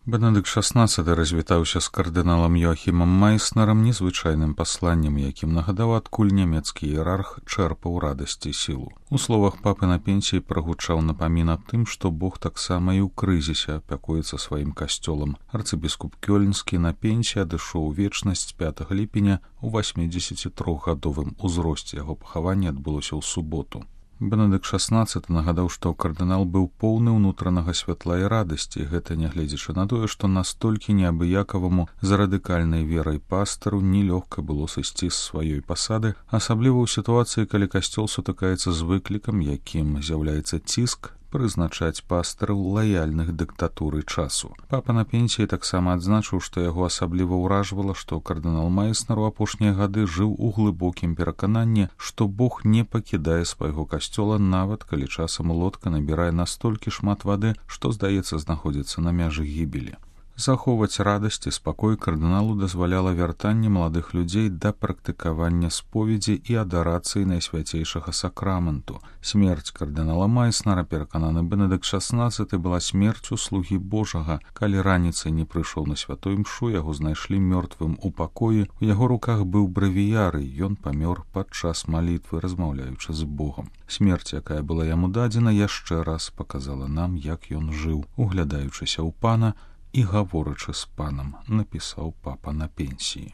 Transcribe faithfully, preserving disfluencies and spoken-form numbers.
Бенедыкт шаснаццаты развітаўся з кардыналам Йоахімам Майснерам незвычайным пасланнем, якім нагадаў, адкуль нямецкі іерарх чэрпаў радасць і сілу. У словах папы на пенсіі прагучаў напамін аб тым, што Бог таксама і ў крызісе апякуецца сваім касцёлам. Арцыбіскуп Кёльнскі на пенсіі адышоў у вечнасць пятага ліпеня у васьмідзесятітрохгадовым узросце. Яго пахаванне адбылося ў суботу. Бенедыкт шаснаццаты нагадаў, што кардынал быў поўны ўнутранага святла і радасці, гэта нягледзячы на тое, што настолькі неабыякаваму з радыкальнай верай пастару нелёгка было сысці з сваёй пасады, асабліва ў сітуацыі, калі касцёл сутыкаецца з выклікам, якім з'яўляецца ціск прызначаць пастараў лаяльных дыктатуры часу. Папа на пенсіі таксама адзначыў, што яго асабліва ўражвала, што кардынал Майснер у апошнія гады жыў у глыбокім перакананні, што Бог не пакідае свайго касцёла, нават калі часам лодка набірае настолькі шмат вады, што, здаецца, знаходзіцца на мяжы гібелі. Захоўваць радасць і спакой кардыналу дазваляла вяртанне маладых людзей да практыкавання споведзі і адарацыі найсвяцейшага сакраменту. Смерць кардынала Майснера, перакананы Бенедыкт шаснаццаты, была смерцю слугі Божага. Калі раніцай не прыйшоў на святой імшу, яго знайшлі мёртвым у пакоі. У яго руках быў брэвіяры, ён памёр падчас малітвы, размаўляючы з Богам. Смерць, якая была яму дадзена, яшчэ раз паказала нам, як ён жыў, углядаючыся ў пана і гаворачы з панам, напісаў папа на пенсіі.